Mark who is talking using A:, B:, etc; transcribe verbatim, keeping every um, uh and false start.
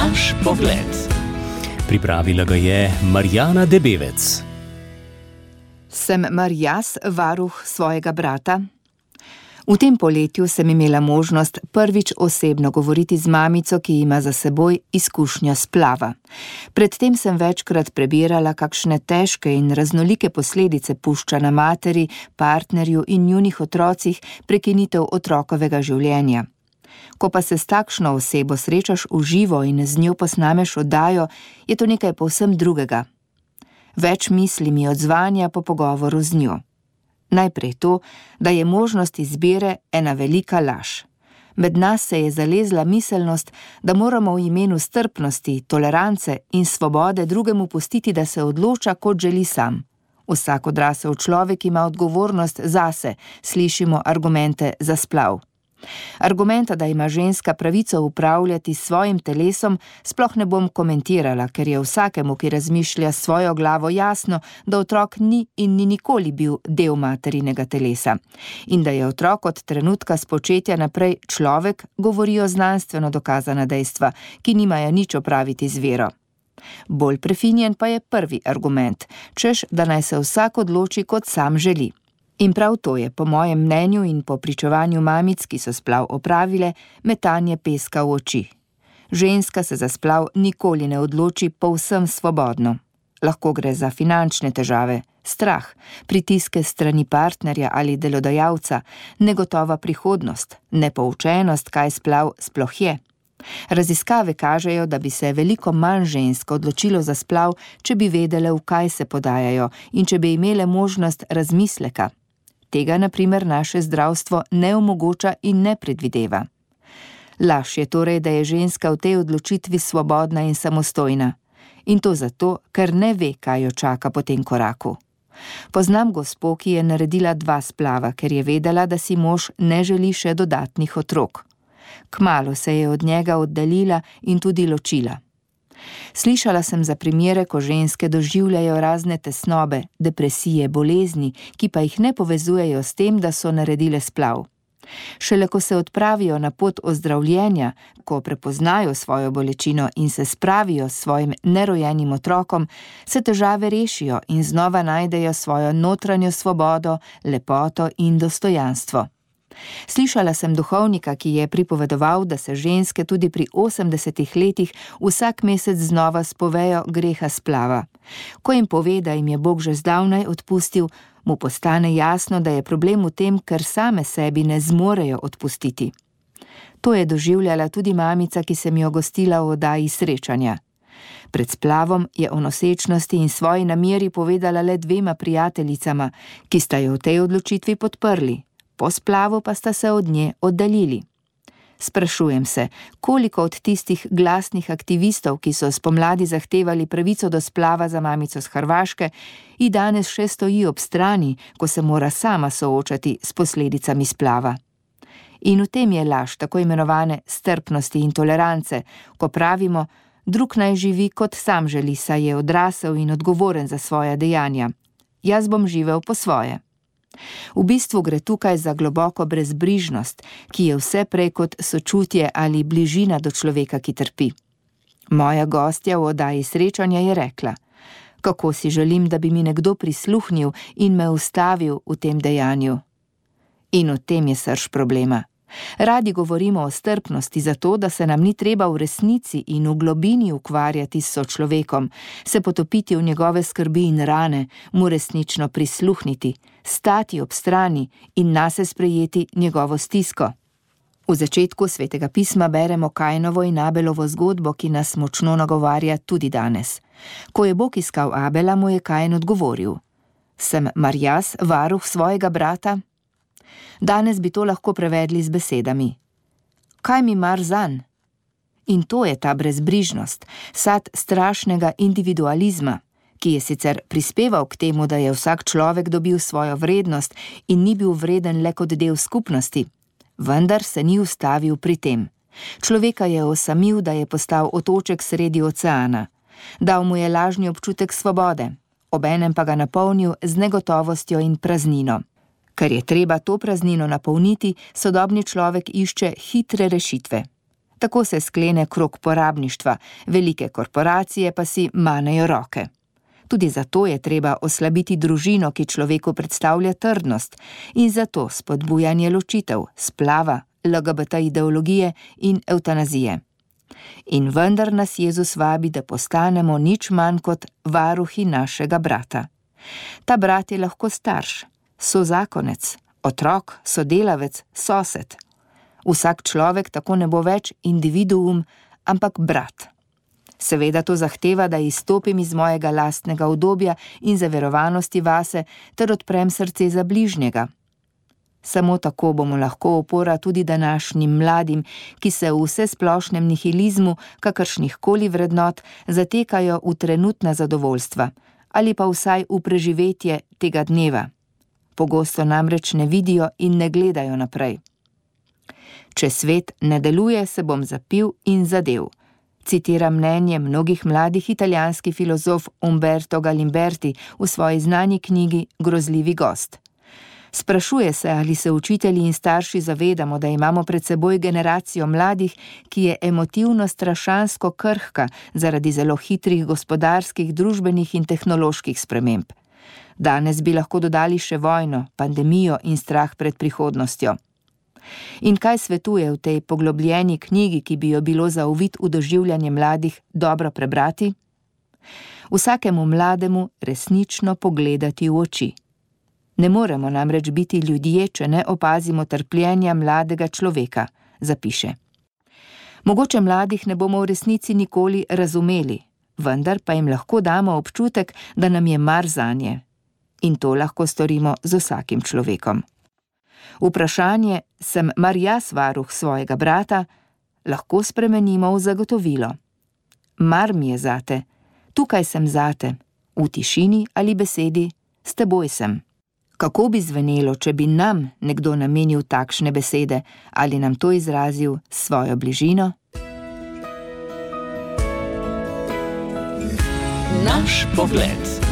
A: Naš pogled. Pripravila ga je Marjana Debevec.
B: Sem mar jaz varuh svojega brata? V tem poletju sem imela možnost prvič osebno govoriti z mamico, ki ima za seboj izkušnjo splava. Predtem sem večkrat prebirala, kakšne težke in raznolike posledice pušča na materi, partnerju in njunih otrocih prekinitev otrokovega življenja. Ko pa se s takšno osebo srečaš v živo in z njo posnameš oddajo, je to nekaj povsem drugega. Več misli mi odzvanja po pogovoru z njo. Najprej to, da je možnost izbire ena velika laž. Med nas se je zalezla miselnost, da moramo v imenu strpnosti, tolerance in svobode drugemu pustiti, da se odloča, kot želi sam. Vsak odrasel človek ima odgovornost zase, slišimo argumente za splav. Argumenta, da ima ženska pravico upravljati s svojim telesom, sploh ne bom komentirala, ker je vsakemu, ki razmišlja s svojo glavo, jasno, da otrok ni in ni nikoli bil del materinega telesa. In da je otrok od trenutka spočetja naprej človek, govorijo znanstveno dokazana dejstva, ki nimajo nič opraviti z vero. Bolj prefinjen pa je prvi argument, češ, da naj se vsak odloči, kot sam želi. In prav to je, po mojem mnenju in po pričevanju mamic, ki so splav opravile, metanje peska v oči. Ženska se za splav nikoli ne odloči povsem svobodno. Lahko gre za finančne težave, strah, pritiske strani partnerja ali delodajalca, negotova prihodnost, nepoučenost, kaj splav sploh je. Raziskave kažejo, da bi se veliko manj žensk odločilo za splav, če bi vedele, v kaj se podajajo in če bi imele možnost razmisleka. Tega, na primer, naše zdravstvo ne omogoča in ne predvideva. Laž je torej, da je ženska v tej odločitvi svobodna in samostojna. In to zato, ker ne ve, kaj jo čaka po tem koraku. Poznam gospo, ki je naredila dva splava, ker je vedela, da si mož ne želi še dodatnih otrok. Kmalu se je od njega oddaljila in tudi ločila. Slišala sem za primere, ko ženske doživljajo razne tesnobe, depresije, bolezni, ki pa jih ne povezujejo s tem, da so naredile splav. Šele ko se odpravijo na pot ozdravljenja, ko prepoznajo svojo bolečino in se spravijo s svojim nerojenim otrokom, se težave rešijo in znova najdejo svojo notranjo svobodo, lepoto in dostojanstvo. Slišala sem duhovnika, ki je pripovedoval, da se ženske tudi pri osemdesetih letih vsak mesec znova spovejo greha splava. Ko jim pove, da jim je Bog že zdavnaj odpustil, mu postane jasno, da je problem v tem, ker same sebi ne zmorejo odpustiti. To je doživljala tudi mamica, ki sem jo gostila v oddaji Srečanja. Pred splavom je o nosečnosti in svoji nameri povedala le dvema prijateljicama, ki sta jo v tej odločitvi podprli. Po splavu pa sta se od nje oddaljili. Sprašujem se, koliko od tistih glasnih aktivistov, ki so spomladi zahtevali pravico do splava za mamico z Hrvaške, in danes še stoji ob strani, ko se mora sama soočati s posledicami splava. In v tem je laž tako imenovane strpnosti in tolerance, ko pravimo, drug naj živi, kot sam želi, saj je odrasel in odgovoren za svoja dejanja. Jaz bom živel po svoje. V bistvu gre tukaj za globoko brezbrižnost, ki je vse prej kot sočutje ali bližina do človeka, ki trpi. Moja gostja v oddaji Srečanja je rekla, kako si želim, da bi mi nekdo prisluhnil in me ustavil v tem dejanju. In v tem je srž problema. Radi govorimo o strpnosti zato, da se nam ni treba v resnici in v globini ukvarjati s sočlovekom, se potopiti v njegove skrbi in rane, mu resnično prisluhniti, stati ob strani in nase sprejeti njegovo stisko. V začetku Svetega pisma beremo Kainovo in Abelovo zgodbo, ki nas močno nagovarja tudi danes. Ko je Bog iskal Abela, mu je Kain odgovoril: Sem mar jaz varuh svojega brata? Danes bi to lahko prevedli z besedami: Kaj mi mar zanj? In to je ta brezbrižnost, sad strašnega individualizma, ki je sicer prispeval k temu, da je vsak človek dobil svojo vrednost in ni bil vreden le kot del skupnosti, vendar se ni ustavil pri tem. Človeka je osamil, da je postal otoček sredi oceana. Dal mu je lažni občutek svobode, obenem pa ga napolnil z negotovostjo in praznino. Ker je treba to praznino napolniti, sodobni človek išče hitre rešitve. Tako se sklene krog porabništva, velike korporacije pa si manejo roke. Tudi zato je treba oslabiti družino, ki človeku predstavlja trdnost, in zato spodbujanje ločitev, splava, L G B T ideologije in evtanazije. In vendar nas Jezus vabi, da postanemo nič manj kot varuhi našega brata. Ta brat je lahko starš, sozakonec, otrok, sodelavec, sosed. Vsak človek tako ne bo več individuum, ampak brat. Seveda to zahteva, da izstopim iz mojega lastnega udobja in zaverovanosti vase ter odprem srce za bližnjega. Samo tako bomo lahko opora tudi današnjim mladim, ki se v vsesplošnem nihilizmu kakršnih koli vrednot zatekajo v trenutna zadovoljstva ali pa vsaj v preživetje tega dneva. Pogosto namreč ne vidijo in ne gledajo naprej. Če svet ne deluje, se bom zapil in zadev. Citira mnenje mnogih mladih italijanski filozof Umberto Galimberti v svoji znani knjigi Grozljivi gost. Sprašuje se, ali se učitelji in starši zavedamo, da imamo pred seboj generacijo mladih, ki je emotivno strašansko krhka zaradi zelo hitrih gospodarskih, družbenih in tehnoloških sprememb. Danes bi lahko dodali še vojno, pandemijo in strah pred prihodnostjo. In kaj svetuje v tej poglobljeni knjigi, ki bi jo bilo za uvid v doživljanje mladih dobro prebrati? Vsakemu mlademu resnično pogledati v oči. Ne moremo namreč biti ljudje, če ne opazimo trpljenja mladega človeka, zapiše. Mogoče mladih ne bomo v resnici nikoli razumeli, vendar pa jim lahko damo občutek, da nam je mar zanje. In to lahko storimo z vsakim človekom. Vprašanje, sem mar jaz varuh svojega brata, lahko spremenimo v zagotovilo. Mar mi je zate, tukaj sem zate, v tišini ali besedi, s teboj sem. Kako bi zvenelo, če bi nam nekdo namenil takšne besede ali nam to izrazil s svojo bližino?
A: Naš pogled.